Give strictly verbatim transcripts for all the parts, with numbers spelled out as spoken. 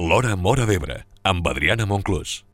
L'Hora Móra d'Ebre, amb Adriana Monclús.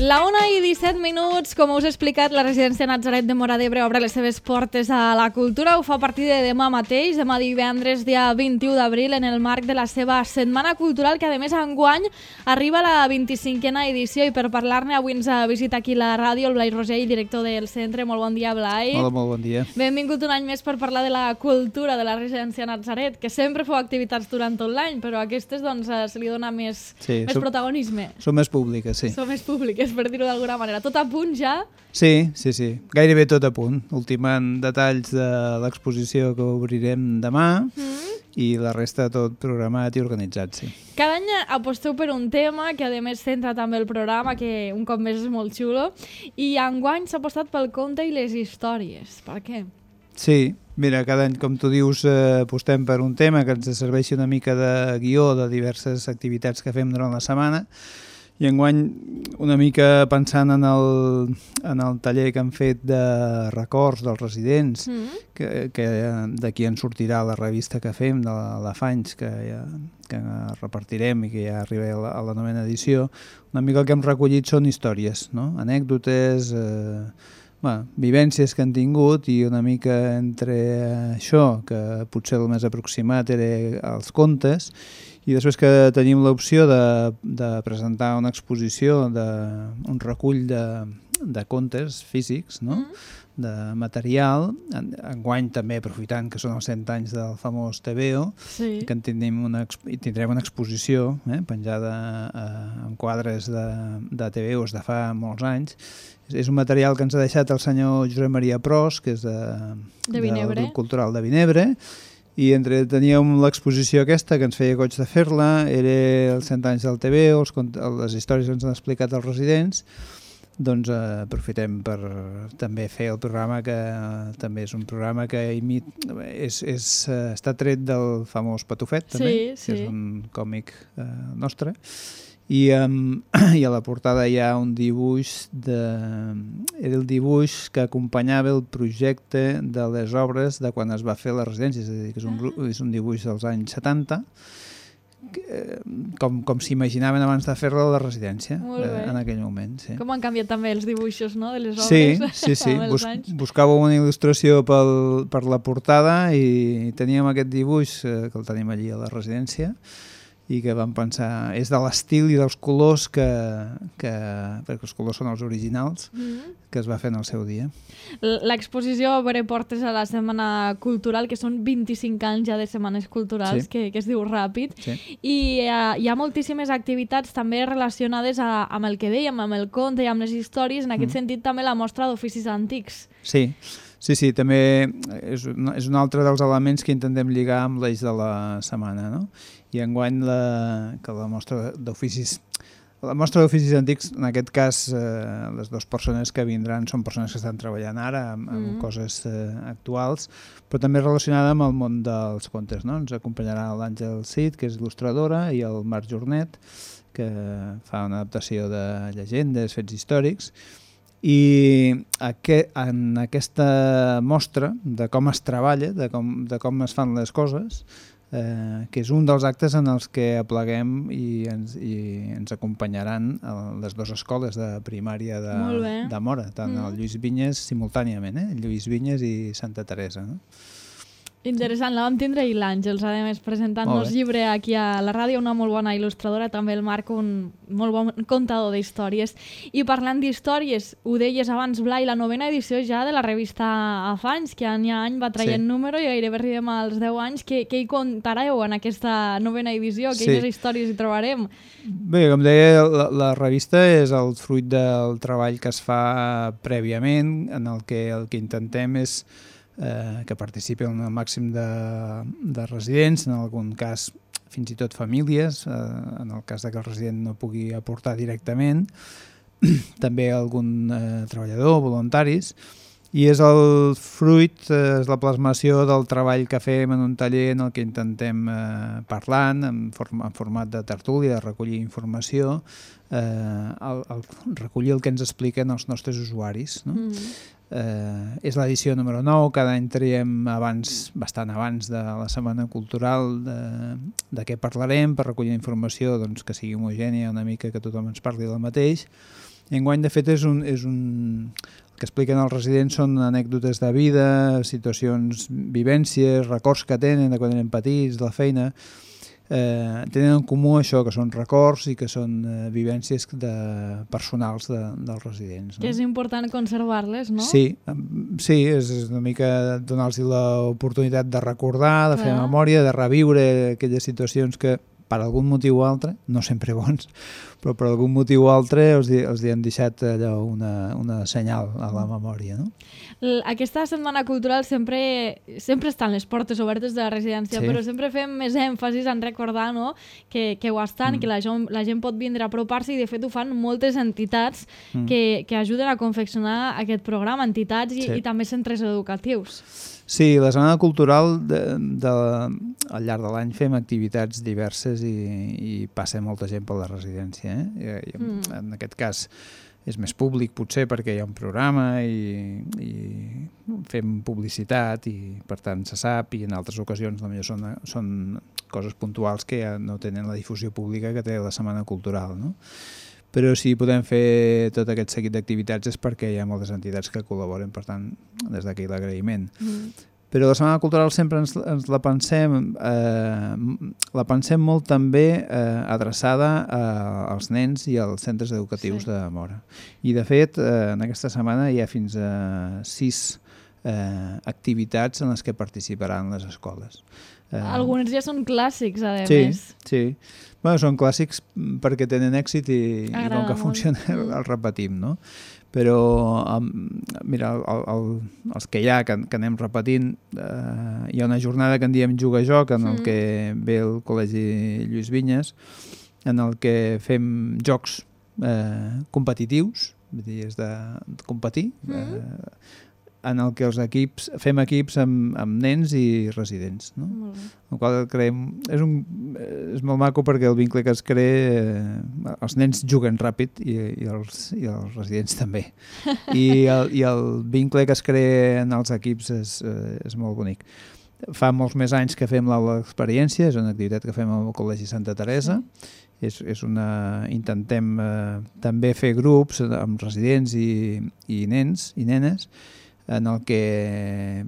La una i disset minuts, com us he explicat, la residència Natzaret de Móra d'Ebre obre les seves portes a la cultura. Ho fa a partir de demà mateix, demà divendres, dia vint-i-u d'abril, en el marc de la seva Setmana Cultural, que a més enguany arriba a la vint-i-cinquena edició. I per parlar-ne avui ens visita aquí la ràdio el Blai Rosell, director del centre. Molt bon dia, Blai. Hola, molt bon dia. Benvingut un any més per parlar de la cultura de la residència Natzaret, que sempre feu activitats durant tot l'any, però a aquestes doncs, se li dona més, sí, més som, protagonisme. Són més públiques, sí. Són més públiques, per dir-ho d'alguna manera. Tot a punt ja? Sí, sí, sí. Gairebé tot a punt. Ultimant detalls de l'exposició que obrirem demà mm. i la resta tot programat i organitzat, sí. Cada any aposteu per un tema que a més centra també el programa, que un cop més és molt xulo, i enguany s'ha apostat pel conte i les històries. Per què? Sí, mira, cada any, com tu dius, eh, apostem per un tema que ens serveixi una mica de guió de diverses activitats que fem durant la setmana. I enguany, una mica pensant en el, en el taller que han fet de records dels residents, mm. que, que d'aquí en sortirà la revista que fem, de l'Afanys, que, ja, que repartirem i que ja arriba a la, a la novena edició, una mica el que hem recollit són històries, no? Anècdotes, eh, bueno, vivències que han tingut, i una mica entre això, que potser el més aproximat era els contes, i després que tenim l'opció de, de presentar una exposició, de, un recull de, de contes físics, no? Mm. de material, enguany també aprofitant que són els cent anys del famós T V O, sí. que en tindrem una, tindrem una exposició eh, penjada eh, en quadres de, de T V Os de fa molts anys. És, és un material que ens ha deixat el senyor Josep Maria Pros, que és de, de del grup cultural de Vinebre, i entre teníem l'exposició aquesta, que ens feia goig de fer-la, era els cent anys del T V O, els, les històries que ens han explicat els residents, doncs eh, aprofitem per també fer el programa, que eh, també és un programa que imit, és, és, eh, està tret del famós Patufet, també, sí, sí. que és un còmic eh, nostre. I, um, i a la portada hi ha un dibuix, de, era el dibuix que acompanyava el projecte de les obres de quan es va fer la residència, és a dir, que és un, és un dibuix dels anys setanta, que, com, com s'imaginaven abans de fer-la a la residència, eh, en aquell moment. Sí. Com han canviat també els dibuixos, no?, de les obres. Sí, sí, sí. Bus, buscàveu una il·lustració pel, per la portada i teníem aquest dibuix, eh, que el tenim allí a la residència, i que vam pensar, és de l'estil i dels colors que, que perquè els colors són els originals, mm-hmm. que es va fer en el seu dia. L'exposició obre portes a la Setmana Cultural, que són vint-i-cinc anys ja de setmanes culturals, sí. que, que es diu ràpid, sí. i uh, hi ha moltíssimes activitats també relacionades a, amb el que dèiem, amb el conte i amb les històries, en aquest mm. sentit també la mostra d'oficis antics. Sí, sí, sí, també és un, és un altre dels elements que intentem lligar amb l'eix de la setmana, no? I enguany la, que la mostra d'oficis la mostra d'oficis antics, en aquest cas eh, les dues persones que vindran són persones que estan treballant ara amb, amb mm. coses eh, actuals, però també relacionada amb el món dels contes, no? Ens acompanyarà l'Àngel Cid, que és il·lustradora, i el Marc Jornet, que fa una adaptació de llegendes, fets històrics. I aquest, en aquesta mostra de com es treballa, de com, de com es fan les coses, Eh, que és un dels actes en els que apleguem i ens, i ens acompanyaran a les dues escoles de primària de, de Móra, tant mm. el Lluís Vinyes simultàniament, eh? Lluís Vinyes i Santa Teresa, no? Interessant, la vam tindre i l'Àngels, a més, presentant-nos llibre aquí a la ràdio, una molt bona il·lustradora, també el Marc, un molt bon contador d'històries. I parlant d'històries, ho deies abans, Blai, la novena edició ja de la revista Afanys, que any a any va traient sí. número i gairebé arribem als deu anys. Què, què hi contareu en aquesta novena edició? Quines sí. històries hi trobarem? Bé, com deia, la, la revista és el fruit del treball que es fa prèviament, en el que el que intentem és Eh, que participen el màxim de, de residents, en algun cas fins i tot famílies, eh, en el cas de que el resident no pugui aportar directament, també algun eh, treballador, voluntaris, I és el fruit, és la plasmació del treball que fem en un taller en el que intentem eh, parlant, en, form en format de tertúlia, de recollir informació, eh, el, el, recollir el que ens expliquen els nostres usuaris. No? Mm. Eh, és l'edició número nou, cada any traiem abans, bastant abans de la Setmana Cultural de, de què parlarem, per recollir informació doncs, que sigui homogènia, una mica que tothom ens parli del mateix. I enguany, de fet, és un... És un que expliquen els residents són anècdotes de vida, situacions, vivències, records que tenen de quan eren petits, de la feina. Eh, tenen en comú això, que són records i que són eh, vivències de, personals de, dels residents. No? Que és important conservar-les, no? Sí, sí, és una mica donar-los l'oportunitat de recordar, de Clar. fer memòria, de reviure aquelles situacions que per algun motiu o altre, no sempre bons, però per algun motiu o altre els, els hi han deixat allò una, una senyal a la memòria. No? Aquesta setmana cultural sempre, sempre estan les portes obertes de la residència, sí. però sempre fem més èmfasis en recordar no? que, que ho estan, mm. que la gent, la gent pot vindre a apropar-se i de fet ho fan moltes entitats mm. que, que ajuden a confeccionar aquest programa, entitats i, sí. i també centres educatius. Sí, la Setmana Cultural de, de, al llarg de l'any fem activitats diverses i, i passa molta gent per la residència. Eh? I, mm. En aquest cas és més públic potser perquè hi ha un programa i, i fem publicitat i per tant se sap, i en altres ocasions potser són, són coses puntuals que ja no tenen la difusió pública que té la Setmana Cultural, no? Però si podem fer tot aquest seguit d'activitats és perquè hi ha moltes entitats que col·laboren, per tant, des d'aquí l'agraïment. Mm. Però la Setmana Cultural sempre ens, ens la pensem eh, la pensem molt també eh, adreçada a, als nens i als centres educatius sí. de Móra. I de fet, eh, en aquesta setmana hi ha fins a sis eh, activitats en les que participaran les escoles. Eh, Alguns ja són clàssics, a sí, més. Sí, bueno, són clàssics perquè tenen èxit i, i com que funciona el, el repetim, no? Però, um, mira, el, el, els que hi ha, que, que anem repetint, eh, hi ha una jornada que en diem Juga-Joc, en el mm. que ve el Col·legi Lluís Vinyes, en el que fem jocs eh, competitius, vull dir, és de, de competir, mm. eh, en el que els equips, fem equips amb, amb nens i residents. No? Mm. El qual creem, és, un, és molt maco perquè el vincle que es crea, eh, els nens juguen ràpid i, i, els, i els residents també. I el, I el vincle que es crea en els equips és, eh, és molt bonic. Fa molts més anys que fem l'aula d'experiència, és una activitat que fem al Col·legi Santa Teresa. Sí. És, és una, intentem eh, també fer grups amb residents i, i nens i nenes en el que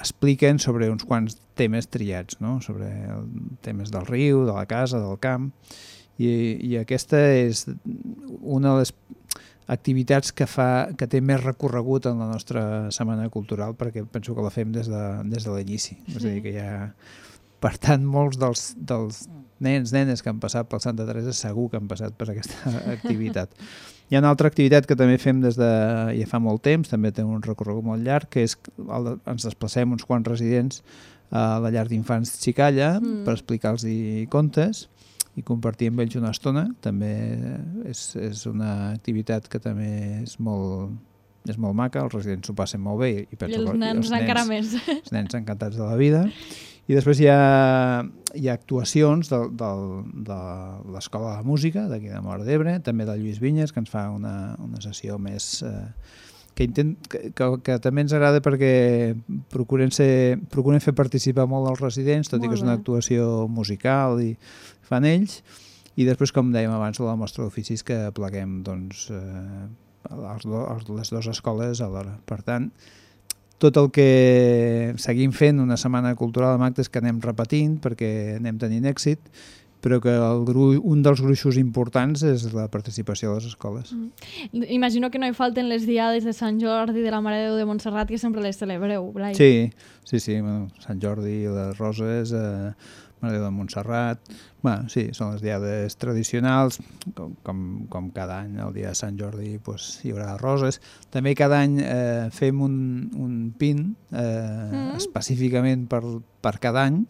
expliquen sobre uns quants temes triats, no? Sobre el, temes del riu, de la casa, del camp, i, i aquesta és una de les activitats que, fa, que té més recorregut en la nostra Setmana Cultural, perquè penso que la fem des de, des de l'inici. Sí. És a dir, que hi ha, per tant, molts dels, dels nens, nenes que han passat pel Santa Teresa segur que han passat per aquesta activitat. Hi ha una altra activitat que també fem des de ja fa molt temps, també té un recorregut molt llarg, que és el, ens desplacem uns quants residents a la llar d'infants Xicalla mm. per explicar-los contes i compartir amb ells una estona. També és, és una activitat que també és molt, és molt maca, els residents s'ho passen molt bé. I, penso, I els nens, els nens encara més. Els nens encantats de la vida. I després hi ha, hi ha actuacions de, de, de l'Escola de Música d'aquí de Móra d'Ebre, també del Lluís Vinyes, que ens fa una, una sessió més... Eh, que, intent, que, que, que també ens agrada perquè procuren, ser, procuren fer participar molt els residents, tot molt i que és una actuació musical i fan ells. I després, com dèiem abans, la mostra d'oficis que pleguem doncs, eh, els do, els, les dues escoles alhora. Per tant, tot el que seguim fent una setmana cultural amb actes que anem repetint perquè anem tenint èxit, però que el gru, un dels gruixos importants és la participació a les escoles. Mm. Imagino que no hi falten les diades de Sant Jordi, de la Mare de Déu de Montserrat, que sempre les celebreu, Blai. Sí, sí, sí, bueno, Sant Jordi, les Roses, eh, Mare de Déu de Montserrat... Bueno, sí, són les diades tradicionals, com, com, com cada any, el dia de Sant Jordi pues, hi haurà roses. També cada any eh, fem un, un pin eh, mm. específicament per, per cada any,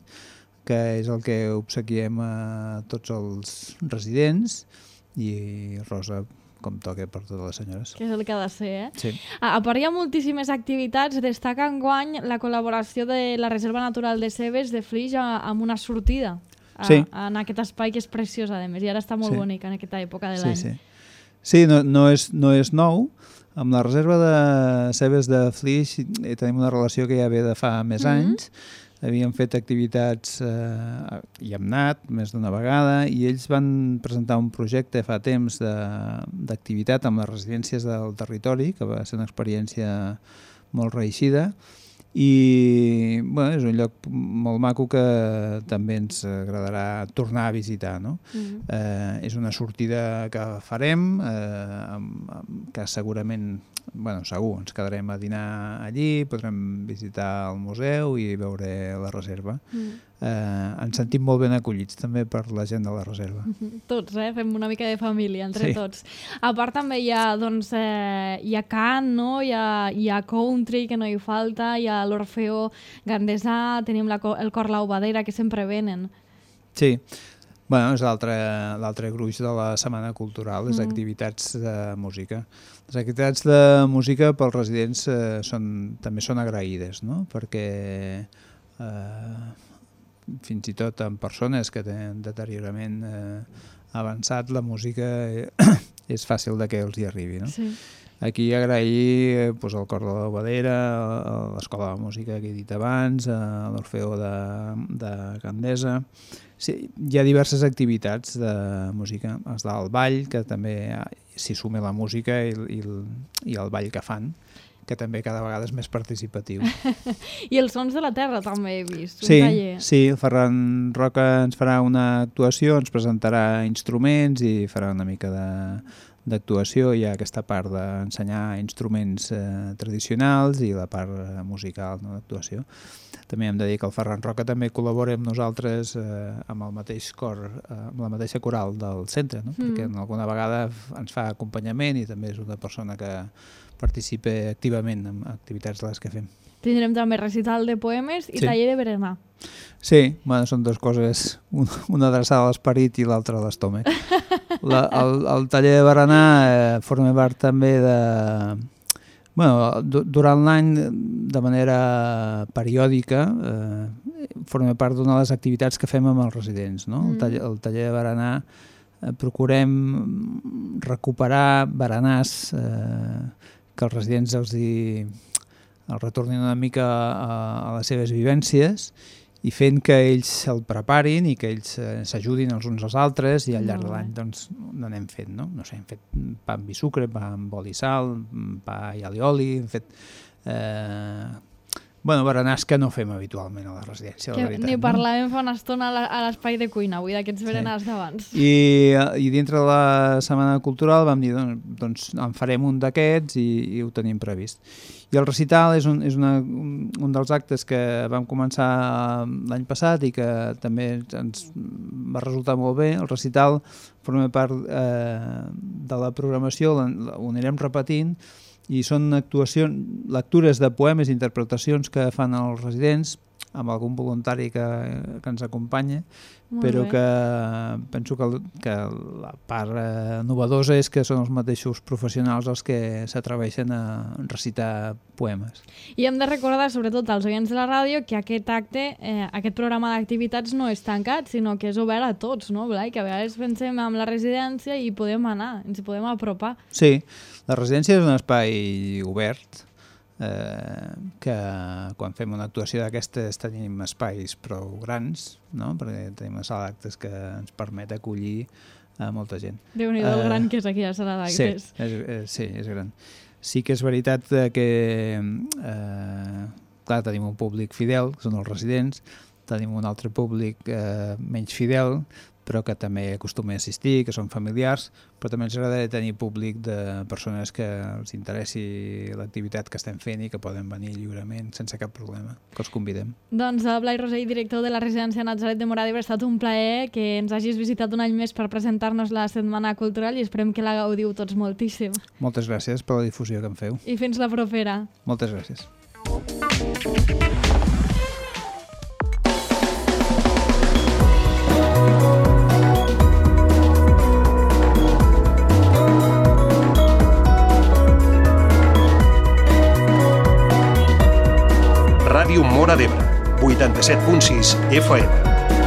que és el que obsequiem a tots els residents, i rosa com toca per totes les senyores. Que és el que ha de ser, eh? Sí. A, a part hi ha moltíssimes activitats. Destaca enguany la col·laboració de la Reserva Natural de Cebes de Flix a, amb una sortida a, sí. a, en aquest espai que és preciós, a més, i ara està molt sí. bonic en aquesta època de sí, l'any. Sí, sí no, no, és, no és nou. Amb la Reserva de Cebes de Flix tenim una relació que ja ve de fa més mm-hmm. anys. Havíem fet activitats, eh, hi hem anat més d'una vegada, i ells van presentar un projecte fa temps d'activitat amb les residències del territori, que va ser una experiència molt reeixida, i bueno, és un lloc molt maco que també ens agradarà tornar a visitar, no? Mm-hmm. eh, és una sortida que farem, eh, amb, amb, que segurament, bueno, segur, ens quedarem a dinar allí, podrem visitar el museu i veure la reserva. Mm. Eh, ens sentim molt ben acollits també per la gent de la reserva. Tots, eh? Fem una mica de família entre sí. tots. A part també hi ha, doncs, eh, hi ha cant, no? Hi ha, hi ha country, que no hi falta, hi ha l'Orfeó Gandesà, tenim la, el Cor Laubadera, que sempre venen. Sí, bueno, és l'altre gruix de la Setmana Cultural, les mm. activitats de música. Les activitats de música pels residents eh, són, també són agraïdes, no? Perquè eh, fins i tot en persones que tenen deteriorament eh, avançat, la música eh, és fàcil de que els hi arribi, no? Sí. Aquí agrair eh, pues, el Cor de l'Obadera, l'Escola de Música que he dit abans, eh, l'Orfeó de, de Gandesa. Sí, hi ha diverses activitats de música. Està el ball, que també s'hi suma la música i, i, i el ball que fan, que també cada vegada és més participatiu. I els Sons de la Terra també he vist, sí, un taller. Sí, el Ferran Roca ens farà una actuació, ens presentarà instruments i farà una mica de d'actuació. Hi ha aquesta part d'ensenyar instruments eh, tradicionals i la part eh, musical, no, d'actuació. També hem de dir que el Ferran Roca també col·labora amb nosaltres eh, amb el mateix cor, eh, amb la mateixa coral del centre, no? Mm. Perquè alguna vegada ens fa acompanyament i també és una persona que participa activament en activitats de les que fem. Tindrem també recital de poemes i sí. taller de berenar. Sí, bueno, són dues coses, una adreçada a l'esperit i l'altra a l'estómac. La, el, el taller de berenar eh, forma part també de... Bueno, durant l'any, de manera periòdica, eh, forma part d'una de les activitats que fem amb els residents, no? Mm. El, taller, el taller de berenar eh, procurem recuperar berenars eh, que els residents els, hi, els retornin una mica a, a les seves vivències i fent que ells se'l preparin i que ells eh, s'ajudin els uns als altres i al llarg de l'any doncs n'anem fent, no? No sé, hem fet pa amb vi sucre, pa amb oli i sal, pa i alioli, hem fet... Eh, bueno, berenars que no fem habitualment a la residència, que la veritat. Ni parlàvem no? fa una estona a l'espai de cuina, avui d'aquests berenars sí. d'abans. I, I dintre de la Setmana Cultural vam dir, doncs, doncs en farem un d'aquests i, i ho tenim previst. I el recital és, un, és una, un, un dels actes que vam començar l'any passat i que també ens va resultar molt bé. El recital forma part eh, de la programació, ho anirem repetint, i són actuacions, lectures de poemes i interpretacions que fan els residents amb algun voluntari que, que ens acompanya, molt però bé. Que penso que, que la part eh, novedosa és que són els mateixos professionals els que s'atreveixen a recitar poemes. I hem de recordar, sobretot als oients de la ràdio, que aquest acte, eh, aquest programa d'activitats no és tancat, sinó que és obert a tots, no, Blai? Que a vegades pensem en la residència i podem anar, ens podem apropar. Sí, la residència és un espai obert, Eh, que quan fem una actuació d'aquestes tenim espais prou grans, no? Perquè tenim una sala d'actes que ens permet acollir a molta gent. Déu-n'hi-do el uh, gran que és aquí a la sala d'actes. Sí, és, és, sí, és gran. Sí que és veritat que eh, clar, tenim un públic fidel, que són els residents, tenim un altre públic eh, menys fidel, però que també acostuma a assistir, que són familiars, però també ens agrada tenir públic de persones que els interessi l'activitat que estem fent i que poden venir lliurement, sense cap problema, que els convidem. Doncs el Blai Rosell, director de la residència Natzaret de Móra d'Ebre, ha estat un plaer que ens hagis visitat un any més per presentar-nos la Setmana Cultural i esperem que la gaudiu tots moltíssim. Moltes gràcies per la difusió que em feu. I fins la propera. Moltes gràcies. vuitanta-set punt sis F M.